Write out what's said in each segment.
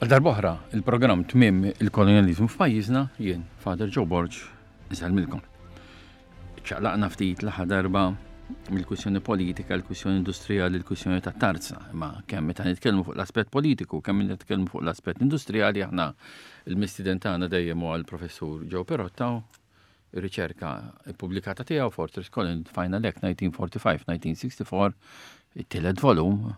Għal darb'oħra, il-programm Tmiem il-Kolonjaliżmu f'pajjiżna, jien, Father Joe Borg, insellmilkom. Ċaqlaqna ftit l-aħħar darba mill-kwistjoni politika, l-kwistjoni industrijali, l-kwistjoni ta' tarza, imma kemm meta nitkellmu fuq l-aspett politiku, kemm nitkellmu fuq l-aspett industrijali, aħna il-mistiden tagħna dejjem huwa l-professur Joe Perotta, ir-riċerka ppubblikata tiegħu Fortress Colin Final Act 1945-1964, it-tielet volum,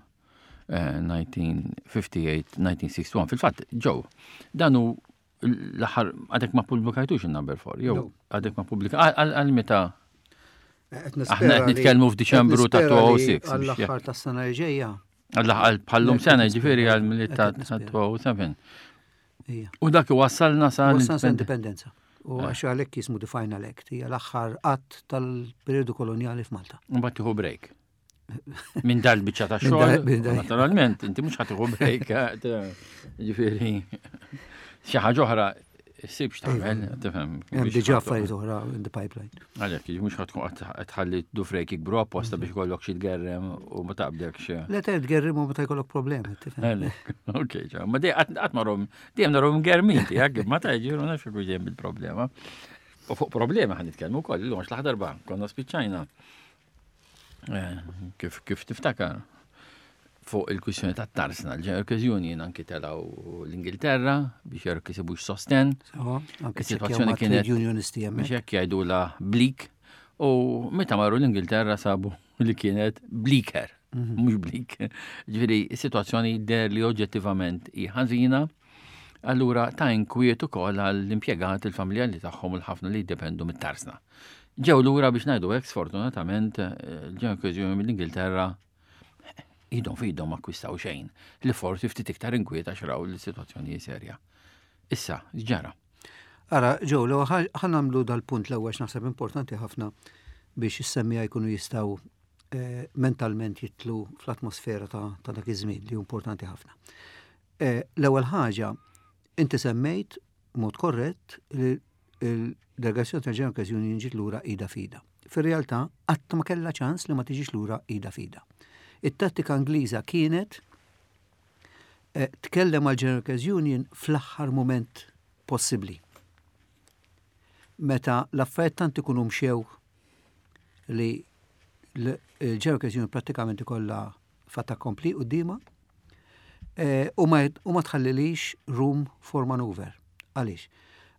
1958-1961. Eh, Fil-fatt, ġew, dan hu l-aħħar għadek ma pubblikajtux il-number 4, jew għadek ma pubblika għal meta Aħna qed nitkellmu f'Diċembru ta' 2006. Għall-aħħar tas-sena li ġejja. Għall-aħħar bħallum sena ġifieri għal mill ta' 2007. U dak iwassalna sa' l-indipendenza. U eh. għax għalhekk jismu the final act, hija l-aħħar att tal-periodu kolonjali f'Malta. Mbagħad tieħu break. Minn dal-biċċa ta' xogħol. Naturalment, inti mhux ħatiħu break, eh, ġifieri xi ħaġa oħra ssib x'tagħmel, tifhem. Hemm diġà affarijiet oħra in the pipeline. Għalhekk, mhux ħadd tkun qed tħalli dufrejk jikbru apposta biex ikollok xi tgerrem u ma taqbdekx. Le te tgerrem u meta jkollok problemi, tifhem. Ok, ma dej qatt marhom dejjem narhom germin tiegħek, ma ta' ġiru nafx ikun dejjem bil-problema. U fuq problema ħan nitkellmu wkoll, illum għax l-aħħar darba konna spiċċajna Eh, kif, kif tiftakar fuq il-kwissjoni ta' tarsna, l-Workers Union anki telaw l-Ingilterra biex jerk jisibux sosten. Is-situazzjoni kienet unionisti biex hekk jgħidula bleak u meta marru l-Ingilterra sabu li kienet bleaker, mhm. mhux bleak. Ġifieri, is-sitwazzjoni der li oġġettivament hi ħażina, allura ta' inkwiet ukoll għall-impjegati il-familjali tagħhom u l-ħafna li jiddependu mit-tarsna. Ġew lura biex ngħidu hekk sfortunatament il-ġew eh, mill-Ingilterra idhom f'idhom akkwistaw xejn li forsi ftit iktar inkwiet għax raw li s-sitwazzjoni serja. Issa, ġara. Ara, ġew, l ħa nagħmlu dal-punt l-ewwel naħseb importanti ħafna biex is-semmija jkunu jistgħu eh, mentalment jitlu fl-atmosfera ta', ta dak iż-żmien li hu importanti ħafna. Eh, l-ewwel ħaġa, inti semmejt mod korrett li il-delegazzjoni tal-General Workers Union ġiet lura ida fida. Fir-realtà, qatt ma kellha ċans li ma tiġix lura ida fida. It-tattika Ingliża kienet eh, tkellem għal General Workers Union fl-aħħar mument possibbli. Meta l-affarijiet tant ikunu mxew li l-General Workers Union prattikament ikollha fait accompli quddiemha eh, u ma tħallilix room for maneuver. Għaliex?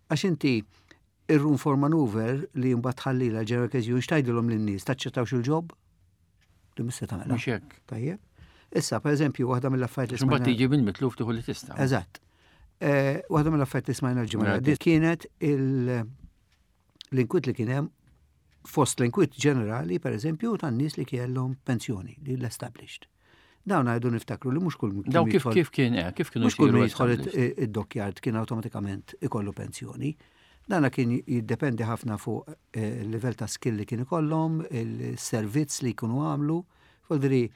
Għax inti ir-room for maneuver li mbagħad tħallilha l-General Workers Union x'tgħidilhom lin-nies taċċettawx il-ġob? Li mhux se tagħmilha. Mhux hekk. Tajjeb. Issa, per eżempju, waħda mill-affarijiet li smajna. tiġi bil-mitluf tieħu li tista'. Eżatt. Eh, waħda mill-affarijiet li smajna l-ġimgħa li kienet l-inkwit li kien hemm fost l-inkwit ġenerali, per eżempju, tan-nies li kellhom pensjoni, li l-established. Dawn għajdu niftakru li mhux kull Daw kif kif kien eh, kif kienu mhux kull min jidħol id-dockyard kien awtomatikament ikollu pensjoni. Dana kien jiddependi ħafna fuq eh, il-livell ta' skill li kien ikollhom, il-servizz li jkunu għamlu. Foldri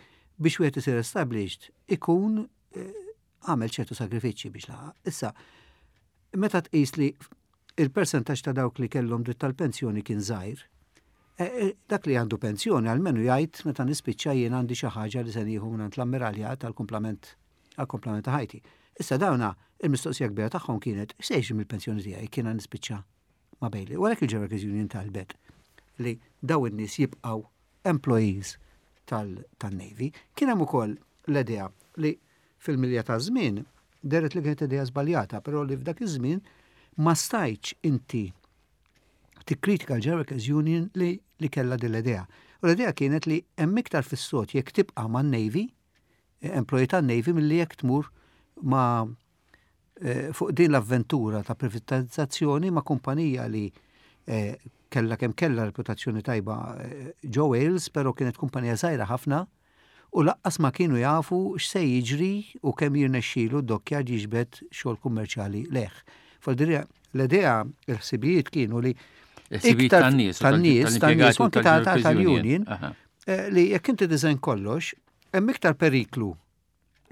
biex wieħed isir established ikun eh, għamel ċertu sagrifiċċji biex laħaq. Issa, meta tqis li il-persentaġġ ta' dawk li kellhom dritt tal-pensjoni kien żgħir, e, e, dak li għandu pensjoni għalmenu jgħid meta nispiċċa jien għandi xi ħaġa li se nieħu mingħand l-ammiraljat għall-kumplament għall-kumplament ta' ħajti. Issa dawna il-mistoqsija kbira tagħhom kienet x'se jiġri mill-pensjoni tiegħi kien nispiċċa ma' Bailey. U għalhekk il-Ġeneral Union talbet li daw in-nies jibqgħu employees tal-Navy. Kien hemm ukoll l-idea li fil-milja taż-żmien dehret li kienet idea żbaljata, però li f'dak iż-żmien ma stajtx inti tikkritika l-General Workers Union li, li kellha din l-idea. U l-idea kienet li hemm iktar fis-sod jekk tibqa' man-Navy, employee tan-Navy milli jekk tmur ma' eh, fuq din l-avventura ta' privatizzazzjoni ma' kumpanija li eh, kellha kemm kellha reputazzjoni tajba eh, ġo Wales, però kienet kumpanija żgħira ħafna u laqqas ma kienu jafu x'se jiġri u kemm jirnexxilu d-dockyard jiġbed xogħol kummerċjali lejh. Fol-dirja, l-idea, il-ħsibijiet kienu li iktar tan-nies, tan-nies, tan-nies, anki tal-union, li jekk inti design kollox, hemm iktar periklu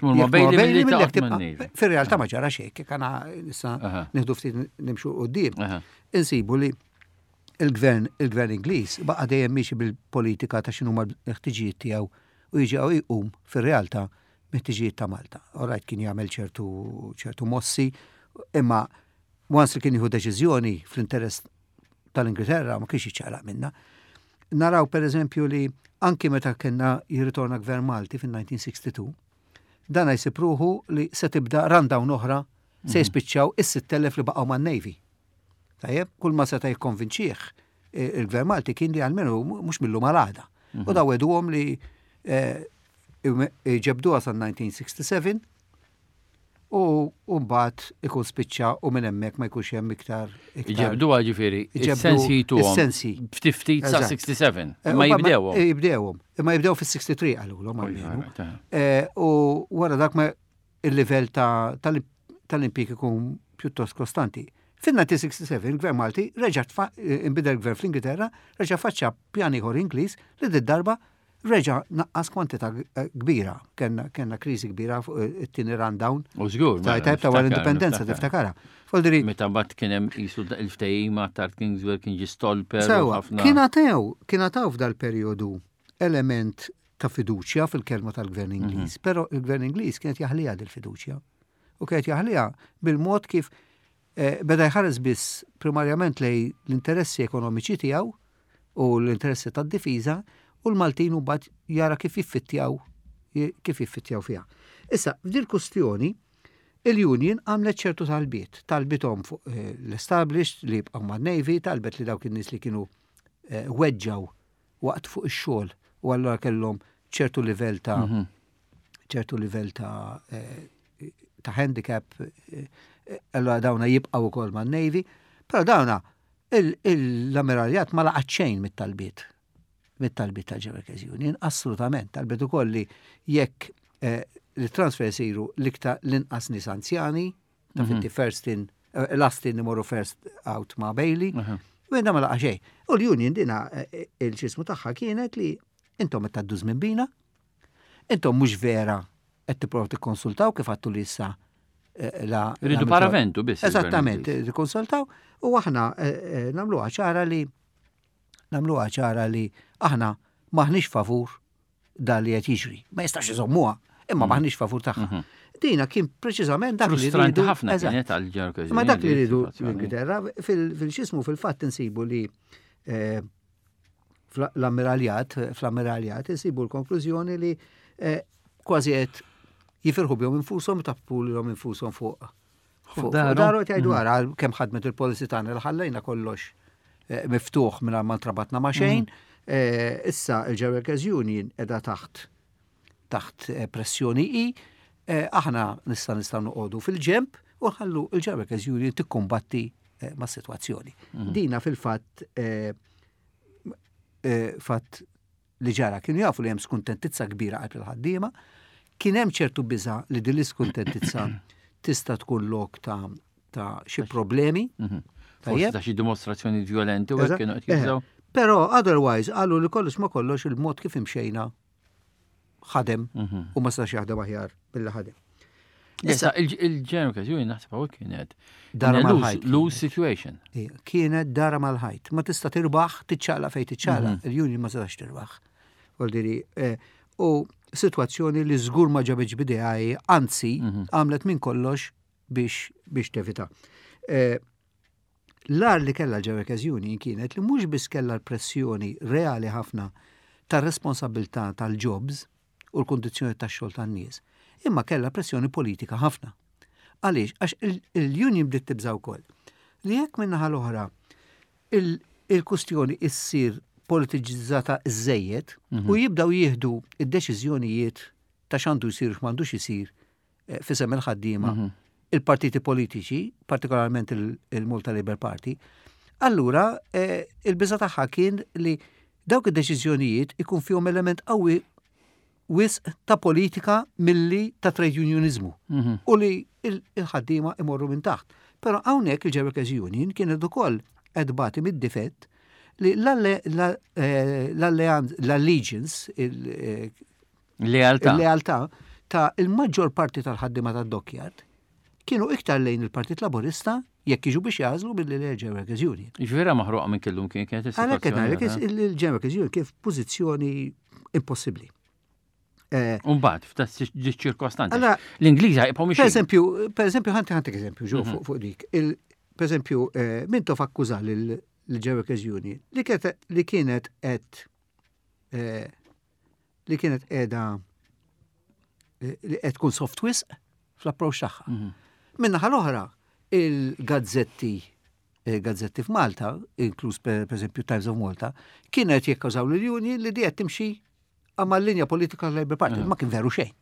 Tmur ma' Bailey milli tibqa'. Fir-realtà ma ġara xejn, kif għana issa nieħdu ftit nimxu quddiem. Insibu li il-gvern il-gvern Ingliż baqa' dejjem miexi bil-politika ta' x'inhuma l-ħtiġijiet tiegħu u jiġi hawn jqum fir-realtà mit-tiġijiet ta' Malta. Alright kien jagħmel ċertu ċertu mossi, imma once li kien jieħu deċiżjoni fl-interess tal-Ingilterra ma kienx jiċċaqlaq minna. Naraw per eżempju li anki meta kienna jirritorna gvern Malti fin-1962, dan jsib ruħu li se tibda rundown oħra se mhm. jispiċċaw is-6,000 li baqgħu man-Navy. Tajjeb, kull ma seta' jikkonvinċih eh, il-gvern Malti kien li għalmenu mhux millu mal-għada. U mhm. daw għeduhom li eh, ġebduha sal-1967 u mbagħad ikun spiċċa u minn hemmhekk ma jkunx hemm iktar. Ġebduha ġifieri, is-sensi jituhom. Is-sensi. Ftit ftit sa 67. Eh, ma jibdewhom. Jibdewhom. Imma jibdew fis-63 qalulhom għalmenu. U wara dak ma il-livell tal-impjieg ikun pjuttost kostanti. Fin-1967 il-Gvern Malti reġa' inbidel gvern fl-Ingilterra, reġa' faċċa pjan ieħor Ingliż li did-darba reġa' naqqas kwantità kbira. Kenna kenna kriżi kbira fuq it-tieni rundown. U żgur. Ta' tajb ta' wara l-indipendenza tiftakara. Foldiri. Meta mbagħad kien hemm qisu il-ftehim ma' Tart Kingswell kien ġie stolper. Sewa, kien għatew, kien għataw f'dal-perjodu element ta' fiduċja fil-kelma tal-gvern mhm. Ingliż, però il-gvern Ingliż kienet jaħliha dil-fiduċja. U kienet jaħliha bil-mod kif eh, beda jħares biss primarjament lej l-interessi ekonomiċi tiegħu u l-interessi tad-difiża u l-Maltin u mbagħad jara kif jiffittjaw kif jiffittjaw fiha. Issa, f'dil kustjoni, il-Union għamlet ċertu talbiet, talbithom fuq eh, l-established li jibqgħu man-Navy, talbet li dawk in-nies li kienu eh, weġġaw waqt fuq ix-xogħol u allura kellhom ċertu livell ta' mhm. ċertu livell ta' eh, ta' handicap, eh, allura dawna jibqgħu wkoll man-Navy, però dawna l-ammiraljat ma laqat xejn mit-talbiet mit-talbiet tal-Workers Union, assolutament, talbiet ukoll li jekk eh, li transfer isiru l-iktar l-inqas nies anzjani, Ta' finti mhm. first in, eh, last in imorru first out ma' Bailey. U jenna ma laqa xejn. U l-union dina eh, eh, il-ċismu tagħha kienet li intom qed tgħaddu żmien bina, intom mhux vera qed tipprovaw tikkonsultaw kif għattu li issa la. Rridu paraventu biss. Eżattament, tikkonsultaw u aħna nagħmluha ċara li nagħmluha ċara li aħna maħniex favur dan li qed jiġri. Ma jistax iżommuha, imma mm. maħniex favur tagħha. Mhm. Dina kien preċiżament dak li rridu. ħafna kienet għal Ma dak li rridu l-Ingilterra fil-xismu fil-fatt insibu li eh, l-ammiraljat, fl-ammiraljat insibu l-konklużjoni li eh, kważi qed jifirħu bihom infushom tappu lilhom infushom fuq Fuq daru qed jgħidu ara kemm ħadmet il-policy tagħna li ħallejna kollox eh, miftuħ mingħajr ma ntrabatna ma' xejn. Mm. Eh, issa il-Workers Union qiegħda taħt taħt eh, pressjoni i, aħna nista' nistgħu noqogħdu fil-ġemp u nħallu il-Workers Union tikkumbatti ma' situazzjoni. Mm. Dina fil-fatt fatt li ġara kienu jafu li hemm skuntentizza kbira qalb il-ħaddiema, kien hemm ċertu biża' li din l-iskuntentizza tista' tkun lok ta' ta' xi problemi. Mhm. Forsi ta' xi dimostrazzjoni violenti u hekk kienu qed jibżgħu. Eh, però otherwise qalu li kollox ma kollox il-mod kif imxejna ħadem mhm. u ma stax jaħdem aħjar billi ħadem. Issa il-ġeneral okkażjoni naħseb hawnhekk kienet dara mal-ħajt. Lose situation. Kienet dara mal-ħajt. Ma tista' tirbaħ, tiċċaqla fejn tiċċaqla. Mhm. Il-union ma setax tirbaħ. Voldiri, eh, u situazzjoni li żgur ma ġabitx bidejaj, anzi, mhm. għamlet minn kollox biex biex tevita. Eh, l-ar li kellha l-Workers Union kienet li mhux biss kellha l-pressjoni reali ħafna tar-responsabilità tal-jobs, u l-kundizzjoni tax-xogħol tan-nies, imma kellha pressjoni politika ħafna. Għaliex? Għax il-union bdiet tibża' wkoll li jekk min-naħa l-oħra il-kustjoni issir politiċizzata żejjed mhm. u jibdaw jieħdu id-deċiżjonijiet ta' x'għandu jsir u x'm'għandux isir eh, fisem il-ħaddiema mhm. il-partiti politiċi, partikolarment il-Malta Labour Party, allura eh, il-biża tagħha kien li dawk id-deċiżjonijiet ikun fihom element qawwi wisq ta' politika milli ta' trade unionizmu mhm. u li il-ħaddiema imorru minn taħt. Però hawnhekk il-Workers Union kienet ukoll qed bati mid-difett li eh, l-allegiance, eh, Lealtà. Il-lealtà ta' il-maġġor parti tal-ħaddiema tad-dockyard kienu iktar lejn il-Partit Laburista jekk jiġu biex jagħżlu billi l Workers Union. Ġifieri maħruqa minn kellum kien kienet is-sitwazzjoni. Għalhekk qed ngħidlek il-Workers Union kien f'pożizzjoni impossibbli. Eh, Umbagħad f'ta' ċirkostanzi. L-Ingliża jibqgħu mhux. Pereżempju, pereżempju ħanti ħantik eżempju ġew mhm. fuq dik. Per eżempju, eh, Mintoff akkuża lil-Workers Union li kienet qed eh, li kienet qiegħda li qed tkun soft wisq fl-approach tagħha. Mhm. Minnaħa l-oħra, il-gazzetti gazzetti f'Malta, inkluż per eżempju Times of Malta, kienet jekkażaw l-union li di qed timxi għamma l-linja politika tal-Labour Party, ma kien veru xejn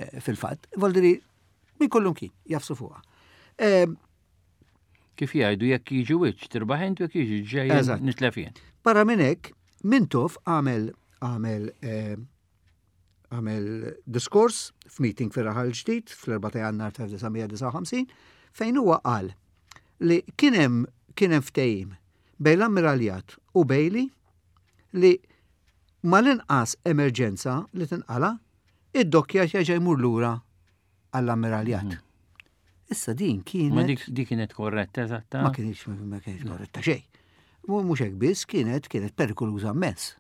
eh, fil-fatt. Voldiri, min kollum kien, jafsu fuqha. Ehm, Kif jgħidu jekk jiġi wiċċ tirbaħ intu jekk jiġi ġej nitlef jien. Barra minn hekk, Mintoff għamel għamel eh, għamel diskors f'meeting fir-Raħal Ġdid fl-4 ta' Jannar ta' 1959 fejn huwa qal li kien hemm kien hemm ftehim bejn l-Ammiraljat u Bailey li mal-inqas emerġenza li tinqala, id-dokkjat jerġa' jmur lura għall-Ammiraljat. Mhm. Issa din kienet. Ma dik kienet korretta eżatta? Ma kienx ma kienx korretta xejn. Mhux hekk biss kienet kienet perikoluża immens.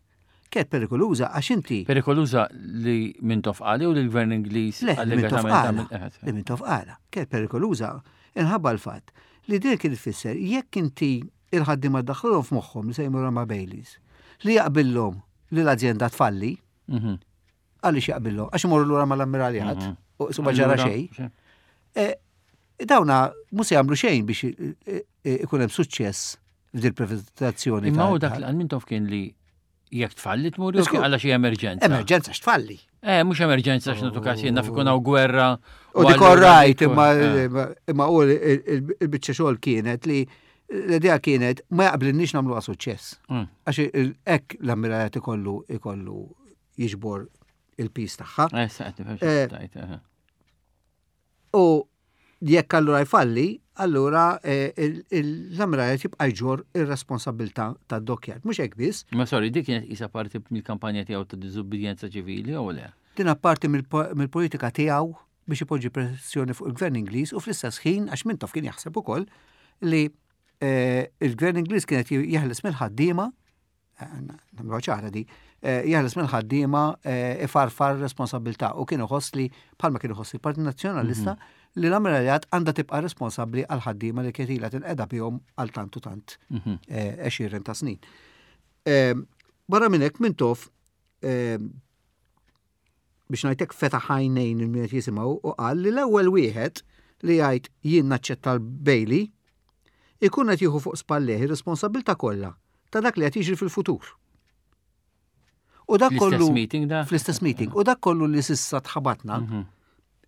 Kienet perikoluża għax inti. Perikoluża li Mintoff qali u li l-Gvern Ingliż allegatament. Li Mintoff qala. Kienet perikoluża inħabba l-fatt li din kien tfisser jekk inti il-ħaddiema ddaħħlulhom f'moħħhom li se jmorru ma' Baileys, li jaqbillhom li l-azjenda tfalli, mhm. għaliex jaqbillhom, għax imorru lura mal-ammiraljat, mhm. u su ma ġara xejn. E, dawna mhux se jagħmlu xejn biex e, e, ikun hemm suċċess f'dil privatizzazzjoni. Imma u dak l-għal kien li Jekk tfalli tmur jew għala xi emerġenza. Emerġenza x'tfalli. Eh, mhux emerġenza x'natu każ jien naf ikun hawn gwerra. U dik rajt imma eh. imma u il-biċċa xogħol kienet li l-idea kienet ma jaqblinniex nagħmluha suċċess. Mm. Għax hekk l-ammirajat ikollu ikollu jiġbor il-pis tagħha. Eh, eh. U jekk allura jfalli, allura eh, l-amrajat jibqa' jġor ir-responsabilità tad-dokkjat. Mhux hekk biss. Ma sorry, dik kienet isa parti mill-kampanja tiegħu ta' diżubbidjenza ċivili jew le? Din apparti mill-politika tiegħu biex ipoġġi pressjoni fuq il-gvern Ingliż u fl-istess ħin għax Mintoff kien jaħseb ukoll li eh, il-gvern Ingliż kienet jeħles mill-ħaddiema nagħmluha ċara di, eh, jeħles mill-ħaddiema eh, ifarfar responsabilità u kien iħoss li bħalma kien iħoss il-Partit Nazzjonalista mhm. li l-Ammiraljat għandha tibqa' responsabbli għal ħaddiema li kienet ilha tinqeda bihom għal tant u tant mhm. eh, għexieren ta' snin. Barra minn hekk Mintoff biex ngħidlek fetaħ għajnejn il min qed jisimgħu u qal li l-ewwel wieħed li jgħid jien naċċetta l-Bailey ikun qed jieħu fuq spallejh ir-responsabbiltà kollha ta' dak li qed jiġri fil-futur. U dak kollu meeting da? Fl-istess meeting. U dak kollu li sissa tħabatna, mhm.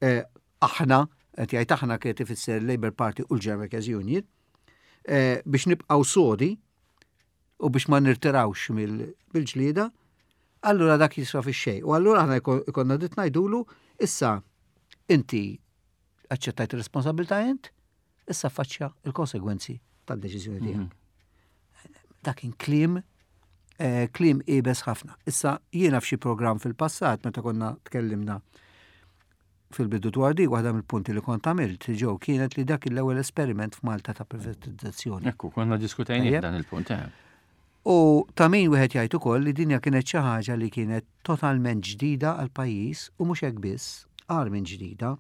eh, aħna, qed jgħid aħna kienet ifisser Labour Party u l-German Workers Union, eh, biex nibqgħu sodi u biex ma nirtirawx mill-ġlieda, allura dak jiswa fix-xejn. U allura aħna jkollna dritt ngħidulu issa inti aċċettajt ir-responsabilità int, issa faċċja il-konsegwenzi tad-deċiżjoni tiegħek. Mhm. Dak kien kliem eh, kliem ibes ħafna. Issa jiena f'xi programm fil-passat meta konna tkellimna fil-bidu dwar di, waħda mill-punti li kont għamilt ġew kienet li dak l-ewwel esperiment f'Malta ta' privatizzazzjoni. Ekku, konna diskutajni dan il-punt. Eh. U ta' min wieħed jgħid ukoll li dinja kienet xi ħaġa li kienet totalment ġdida għal pajjiż u mhux hekk biss, agħar minn ġdida,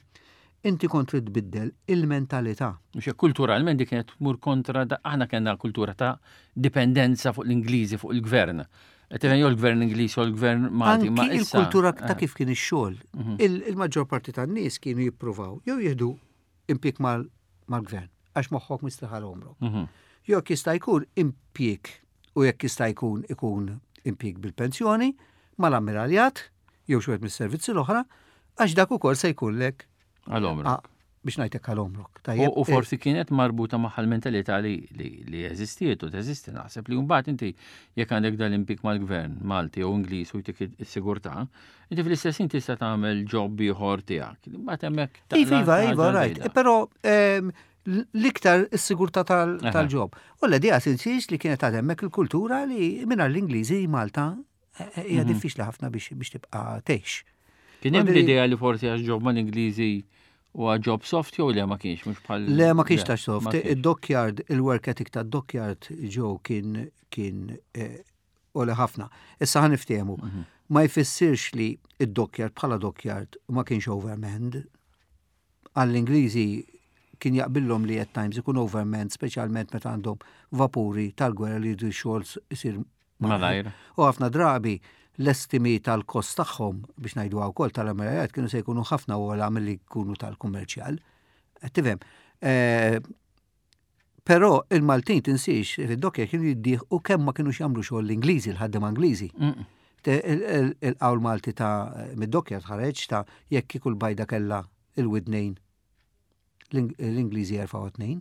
inti kont trid tbiddel il-mentalità. Mhux hekk kulturalment dik kienet tmur kontra aħna kellna kultura ta' dipendenza fuq l-Ingliżi, fuq il-gvern. Qed jew l-gvern Ingliż jew l-gvern Malti. Ma il-kultura ta' eh. kif kien ix-xogħol. Mhm. Il-maġġor parti tan-nies kienu jippruvaw jew jieħdu impjieg mal-gvern għax moħħok mistrieħ għal għomrok. Mhm. Jew jekk jista' jkun impjieg u jekk jista' jkun ikun impjieg bil-pensjoni mal-ammiraljat jew xi mis-servizzi l-oħra għax dak ukoll se jkunlek għal għomrok. Biex ngħidlek għal għomrok. U eh, forsi kienet marbuta magħha l-mentalità li li eżistiet u teżisti naħseb li mbagħad inti jekk għandek dal-impjieg mal-gvern Malti jew Ingliż u jtik is-sigurtà, Inti fl-istess ħin tista' tagħmel job ieħor tiegħek. Mbagħad hemmhekk. Iva, iva, iva, right. Però ehm, l-iktar is-sigurtà tal-ġob. U l-idea tinsiex li kienet għad hemmhekk il-kultura li mingħajr l-Ingliżi Malta eh, eh, hija mhm. diffiċli ħafna biex tibqa' tgħix. Kien hemm l-idea li forsi għax ġob mal-Ingliżi u job soft jew le ma kienx mhux bħal. Le ma kienx ta' soft. Id-dockyard, il-work ethic ta' dockyard ġew kien kien eh, għoli ħafna. Issa ħa niftehmu. Mhm. Ma jfissirx li id-dockyard bħala dockyard ma kienx overmanned. Għall-Ingliżi kien jaqbillhom li at times ikun overmanned, speċjalment meta għandhom vapuri tal-gwerra li jridu xogħol isir malajr. U ħafna drabi l-estimi tal-kost tagħhom biex ngħidu wkoll tal-amirajat kienu se jkunu ħafna ogħla milli jkunu tal-kummerċjal. Qed tifhem? Eh, però il-Maltin tinsiex fid-dokkja kienu jiddieħqu kemm ma kienux jagħmlu xogħol l-Ingliżi, l-ħaddiema Ingliżi. Il-qawl Malti ta' mid-dokkja tħareġ ta' jekk kieku l-bajda kellha il-widnejn l-Ingliżi jerfgħu tnejn.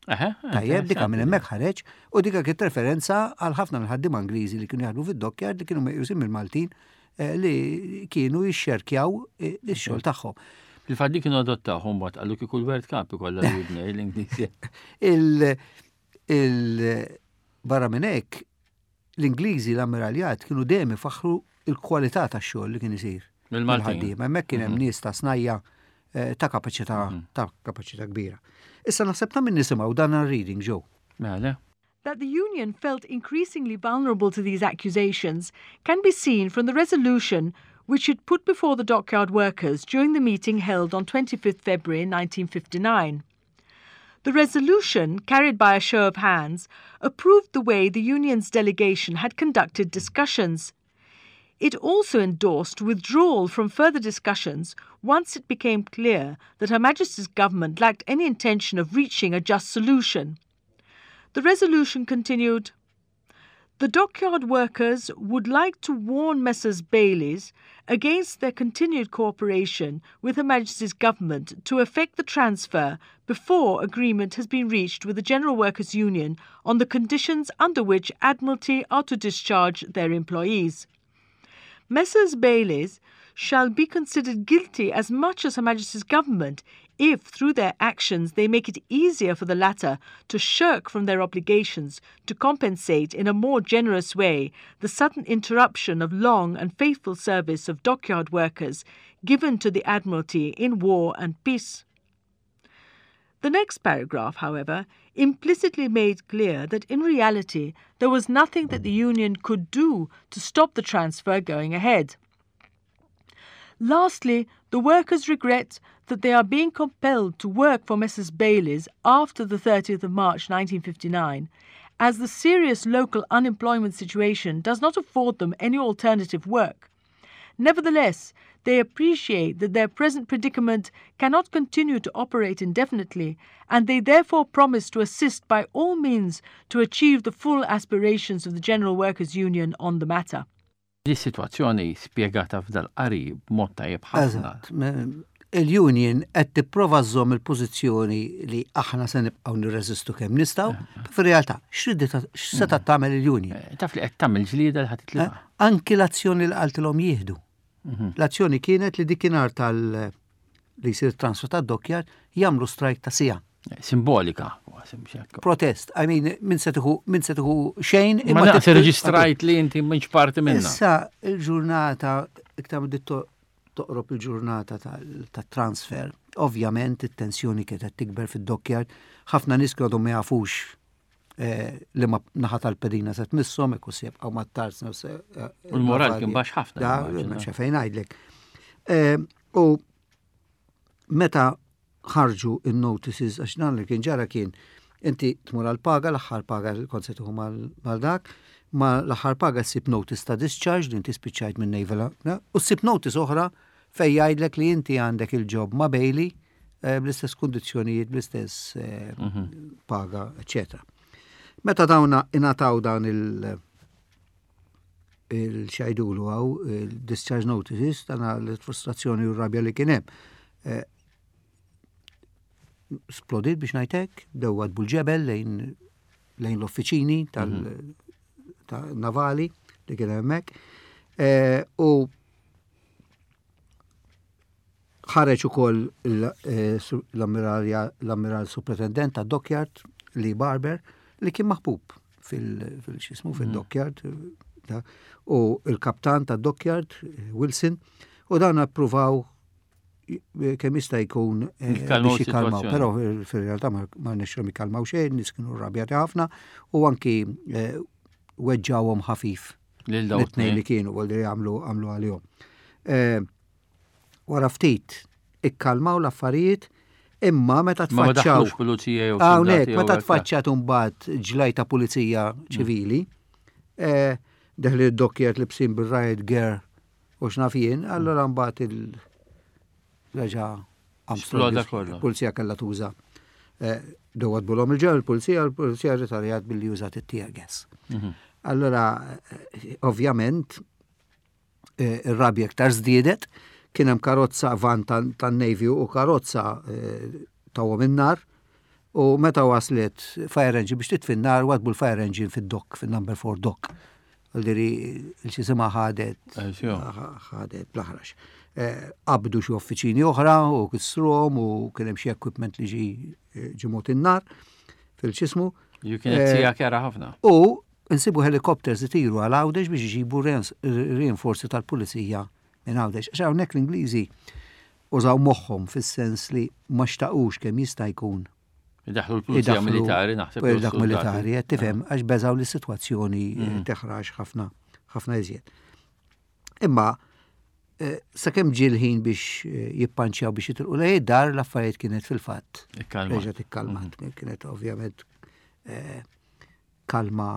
Tajjeb, dika minn hemmhekk ħareġ u dika kienet referenza għal ħafna mill-ħaddiema Ingliżi li kienu jaħdmu fid-dockyard li kienu meqjusin mill-Maltin eh, li kienu jixxerkjaw eh, ix-xogħol tagħhom. Il-fatt li kienu adottaw mbagħad qalu kieku l-World Cup ikollha l-widnej l-Ingliżi. Il barra minn hekk l-Ingliżi l-ammiraljat kienu dejjem ifaħħru il-kwalità tax-xogħol li kien isir. Mill-Maltin. Hemmhekk kien hemm mhm. nies ta' snajja eh, ta' kapaċità mhm. ta' kapaċità kbira. Issa naħseb ta' min nisimgħu dan reading ġew. Mela. That the union felt increasingly vulnerable to these accusations can be seen from the resolution which it put before the dockyard workers during the meeting held on 25 February 1959. The resolution, carried by a show of hands, approved the way the union's delegation had conducted discussions. It also endorsed withdrawal from further discussions once it became clear that Her Majesty's government lacked any intention of reaching a just solution. The resolution continued The dockyard workers would like to warn Messrs. Bayleys against their continued cooperation with Her Majesty's government to effect the transfer before agreement has been reached with the General Workers' Union on the conditions under which Admiralty are to discharge their employees. Messrs. Bayleys shall be considered guilty as much as Her Majesty's government if, through their actions, they make it easier for the latter to shirk from their obligations to compensate in a more generous way the sudden interruption of long and faithful service of dockyard workers given to the Admiralty in war and peace. The next paragraph, however, implicitly made clear that in reality there was nothing that the union could do to stop the transfer going ahead. Lastly, the workers regret that they are being compelled to work for Messrs Bayleys after the 30th of March 1959, as the serious local unemployment situation does not afford them any alternative work. Nevertheless, they appreciate that their present predicament cannot continue to operate indefinitely, and they therefore promise to assist by all means to achieve the full aspirations of the General Workers' Union on the matter. Di sitwazzjoni spjegata f'dal-qari b'mod tajjeb ħafna. Eżatt. Il-union qed tipprova żżomm il-pożizzjoni li aħna se nibqgħu nirreżistu kemm nistgħu, fir-realtà x'ridet x'seta' tagħmel il-union? Eh, taf li qed tagħmel ġlieda li ħadd titlifha. Eh, anki l-azzjoni li qaltilhom jieħdu. Mhm. L-azzjoni kienet li dikinhar tal li jsir transfer ta' dockyard jagħmlu strajk ta' sija. Simbolika. Protest. I mean, min se tieħu min se tieħu xejn. Imma daqs reġistrajt li inti m'intx parti minna. Issa il-ġurnata iktar toqrob il-ġurnata tat-transfer, ovvjament it-tensjoni kienet tikber fid-dockyard, ħafna nies kienu ma jafux eh, li ma naħa tal-pedina se tmisshom, ikku se jibqgħu mat-tarzna. Eh, u l-moral kien baxx ħafna. Da, ma fejn ngħidlek. Eh, u meta ħarġu in-notices, għax dan li kien ġara kien inti tmur għal-paga, l-aħħar paga li kont se tieħu mal dak, ma l-aħħar paga ssib notice ta' discharge li inti spiċċajt minn Naval, u ssib notice oħra fej jgħidlek li inti għandek il-job ma' Bailey eh, bl-istess kundizzjonijiet, bl-istess eh, mhm. paga, eccetera. Meta dawna ingħataw dan il- il-xajdulu għaw, il-discharge notices, tana l-frustrazzjoni u r-rabja li kienem. Eh, splodit biex najtek, bdew għadbu l-ġebel lejn lejn l-offiċini tal-navali mhm. li kien hemmhekk. Eh, u ħareġ ukoll eh, l-ammiral superintendent ta' Dockyard Lee Barber li kien maħbub fil-xismu mhm. fil-Dockyard u il-kaptan ta' Dockyard Wilson u dan appruvaw kemm jista' jkun eh, biex jikkalmaw, però fir-realtà ma nexxhom jikkalmaw xejn, nies kienu rrabjati ħafna u anki eh, weġġawhom ħafif. Lil li kienu għal għamlu għamlu għalihom. Eh, wara ftit ikkalmaw l-affarijiet imma meta tfaċċaw. pulizija jew Hawnhekk meta tfaċċat imbagħad ġlajta pulizija ċivili, eh, deħli d-dokkiet li bsin bil-riot gear u x'naf jien, allura mbagħad il-reġa' Armstrong. Pulizija kellha tuża eh, dowat bulhom il-ġew il-pulizija, il-pulizija ritaljat billi użat it-tear gas. Allora, eh, ovvjament, eh, ir-rabja iktar żdiedet, kien hemm karozza van tan-Navy u karozza tawhom in-nar u meta waslet fire engine biex titfi n-nar wadbu l-fire engine fid-dok, fin-number 4 dok. Għaldiri il-xisima ħadet ħadet bl-aħrax. Eh, qabdu xi uffiċini oħra u kissruhom u kien hemm xi equipment li ġi eh, ġimgħot in-nar fil-ċismu. Ju kienet eh, sija kera ħafna. U nsibu helikopters itiru għal Għawdex biex iġibu rinforzi tal-pulizija minn Għawdex. Għax hawnhekk l-Ingliżi użaw moħħhom fis-sens li ma xtaqux kemm jista' jkun Idaħlu l-pulizija militari, naħseb. Dak militari, qed tifhem, għax beżaw li s-sitwazzjoni eh, teħrax ħafna, ħafna iżjed. Imma eh, sakemm ġie l-ħin biex eh, jippanċjaw biex jitilqu lej dar l-affarijiet kienet fil-fatt. Reġgħet ikkalmat, kienet ovvjament kalma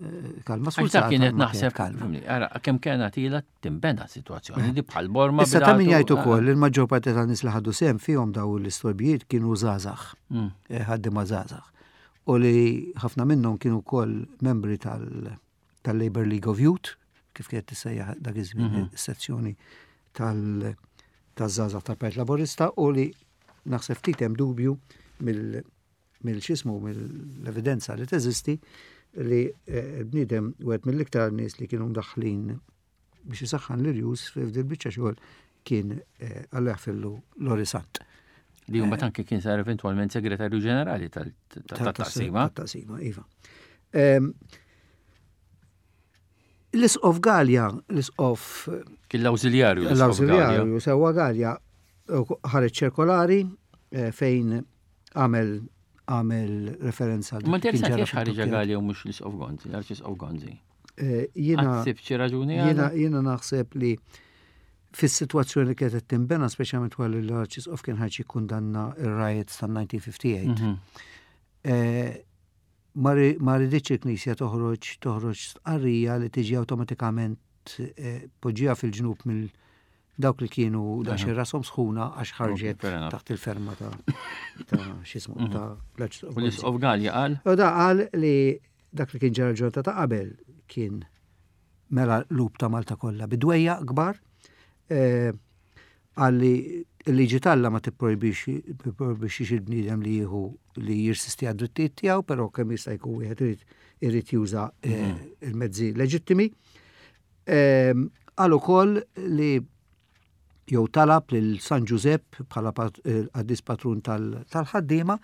eh, kalma sfurzata. Kienet naħseb kalma. Ara, kemm kena tila timbena situazzjoni di bħal borma. Issa ta' min jgħid ukoll il maġġor parti ta' nies li ħadu sehem fihom daw l-istorbijiet kienu żgħażagħ. Eh, ħaddiema żgħażagħ. U li ħafna minnhom kienu wkoll membri tal-Labor League of Youth, kif kienet tissejjaħ dak iż-żmien is-sezzjoni tal-żgħażagħ tal-Partit Laburista u li naħseb ftit hemm dubju mill mill-x'ismu mill-evidenza li teżisti li eh, l-bniedem wieħed mill-iktar nies li kienu mdaħħlin biex isaħħan l-irjus f'dil biċċa xogħol kien eh, Alla jaħfirlu Lori Sant. Li jumma eh, anke kien sar eventwalment segretarju ġenerali tal-taqsima. Tal-taqsima, iva. Ehm, l-isqof Galja, l-isqof. Kien l-awżiljarju. L-awżiljarju, sewa Galja, ħareġ ċirkolari fejn għamel għamel referenza. Ma interessanti għax ħareġ Galja u mhux l-isqof Gonzi, għax l-isqof Gonzi. Eh, jiena xi raġuni jiena jiena naħseb li fis-sitwazzjoni li kienet tinbena speċjalment wara li l-Arċisqof kien ħarġ jikkundanna ir-riots tan-1958. Eh, ma riditx il-Knisja toħroġ toħroġ stqarrija li tiġi awtomatikament eh, poġġija fil-ġnub mill dawk li kienu daqsxejn rashom sħuna għax ħarġet taħt il-ferma ta' x'ismu mhm. ta' l-Arċisqof. L-Isqof Galja qal? U da qal li dak li kien ġara ġurnata ta' qabel kien mela lub ta' Malta kollha bidwejja kbar eh, qal li l-liġi talla ma tipprojbixx il-bniedem li jieħu li jirsisti għad-drittijiet tiegħu, però kemm jista' jkun wieħed irid irid juża eh, mhm. il-mezzi leġittimi. Ehm, qal ukoll li jew talab lil San Ġużepp bħala eh, qaddis patrun tal-ħaddiema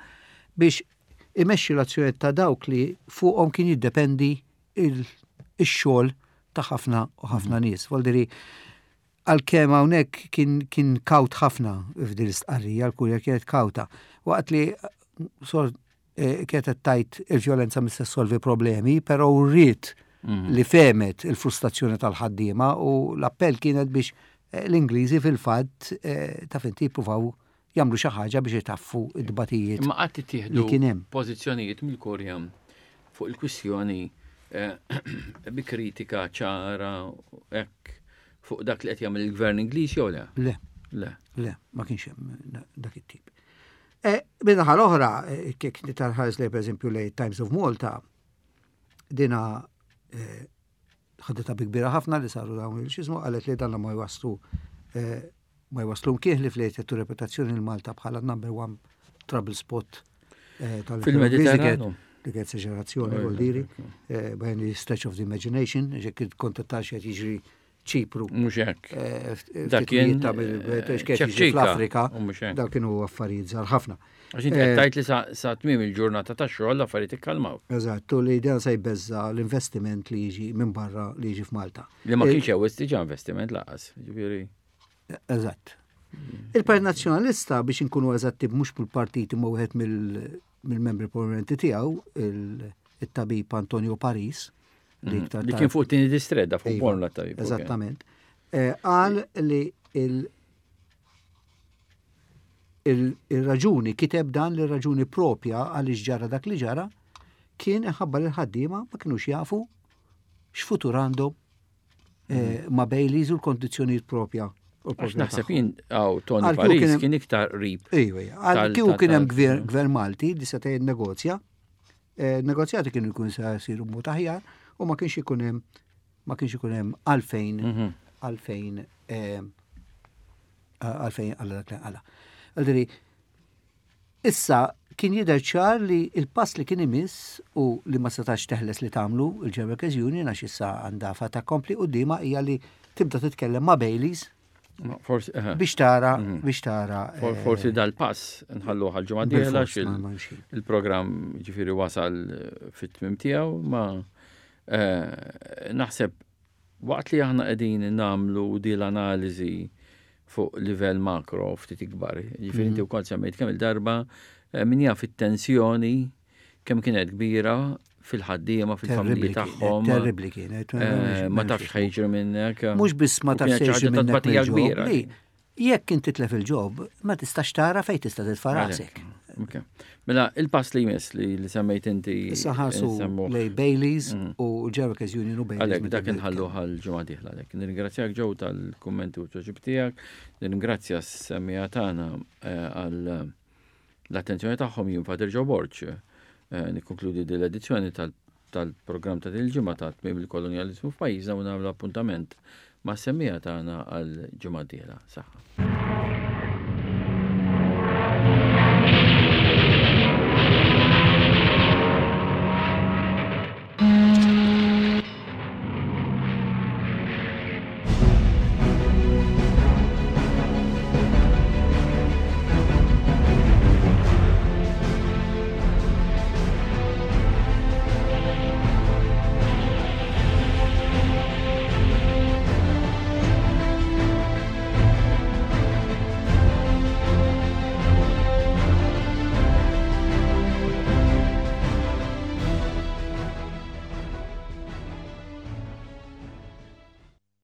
biex imexxi l-azzjoni ta' dawk li fuqhom kien jiddependi il-xogħol ta' ħafna u ħafna mhm. nies. Voldiri, għalkemm hawnhekk kien kien kawt ħafna f'din l-istqarrija, l-kurja kienet kawta. Waqt li sor eh, kienet qed tgħid il-vjolenza mhix se ssolvi problemi, però wriet mhm. li fehmet il-frustrazzjoni tal-ħaddiema u l-appell kienet biex eh, l-Ingliżi fil-fatt eh, ta' finti jippruvaw jagħmlu xi ħaġa biex itaffu id-dbatijiet. Ma qatt ittieħdu kien hemm pożizzjonijiet mill-Kurja fuq il-kwistjoni bi kritika ċara hekk fuq dak li qed jagħmel il-gvern Ingliż jew le? Le. Le. Le, ma kienx hemm dak it-tip. E, Minnaħa l-oħra, e, kif nitarħares li pereżempju lej Times of Malta, dina e, ħadita bi kbira ħafna li saru dawn il-xizmu, qalet li dan ma jwaslu ma jwaslu mkien li flejt jettu reputazzjoni l-Malta bħala number one trouble spot tal-Mediterranu. Dik esagerazzjoni, vuol diri, by any stretch of the imagination, ġek kont tax jiġri Ċipru. Mhux hekk. Eh, dak kien eh, fl-Afrika. Dak kienu affarijiet żgħar ħafna. Għax inti qed eh, tgħid li sa tmiem il-ġurnata tax-xogħol l-affarijiet ikkalmaw. Eżatt, u li dan se jbeżza l-investiment li jiġi minn barra li jiġi f'Malta. Li ma kienx hemm diġà investiment laqas, ġifieri. Eżatt. Il-Partit Nazzjonalista biex inkunu eżatti mhux mill-partit imma wieħed mill-membri prominenti tiegħu, il-tabib Antonio Paris, Li iktar Li kien fuq tieni distret da fuq Iva, Bormla tabib. Eżattament. Eh, qal li il-raġuni, kiteb dan li raġuni propja għaliex ġara dak li ġara, kien ħabba li l-ħaddiema ma kinux jafu x'futur għandhom eh, ma' Baileys u l-kondizzjonijiet propja. u Għax l-propja naħseb tagħhom. jien għaw Tony Għal kieku Paris kien hemm- kien iktar qrib. Ejwa, ejwa. Għal Tal- kieku tal- kien hemm tal- gvern gvern Malti li seta' jinnegozja, eh, negozjati kienu jkun se jsiru mod aħjar u ma kienx ikun hemm ma kienx ikun hemm għalfejn Mhm. għalfejn eh, għalfejn għalla dak li għalla. Għaldiri, issa kien jidher ċar li il-pass li kien imiss u li ma setax teħles li tagħmlu il-General Workers Union għax issa għandha fata kompli qudiema hija li tibda titkellem ma' Baileys Ma Forsi eh, biex tara biex tara for- eh, forsi dal-pass nħallu għal-ġimgħa dieħla bil-fors, xil ma- ma nxin. il-programm ġifieri wasal eh, fit-tmim tiegħu ma eh, naħseb waqt li aħna qegħdin nagħmlu di l-analiżi fuq livell makro ftit ikbar. Ġifieri inti wkoll semmejt kemm il-darba eh, min jaf it-tensjoni kemm kienet kbira fil-ħaddiema, fil-familji Terribli kienet, tagħhom. terribli kienet. Eh, Ma tafx ħajġri minnek. Mhux biss ma U tafx kienet xi xejn ħaġa ta' minnek tbatija mill-ġob. kbira. Li, jekk inti titlef il-ġob, ma tistax tara fejn tista' titfa' rasek. Ok. Mela, il-pass li jmiss li li semmejt inti. Issa ħarsu nsemmuh. lej Baileys u Jerikes Union u Baileys. Għalek, meta dak bdew inħallu għal ġimgħa dieħla għalek. Nirringrazzjak ġew tal-kummenti u tweġib tiegħek, nirringrazzja s-semmija tagħna eh, għal eh, l-attenzjoni tagħhom jien Fader Joe Borg. Eh, Nikkonkludi din l-edizzjoni tal-programm ta' din il-ġimgħa ta' tmiem il-kolonjaliżmu f'pajjiżna u nagħmlu appuntament ma' semmija tagħna għal ġimgħa dieħla. Saħħa.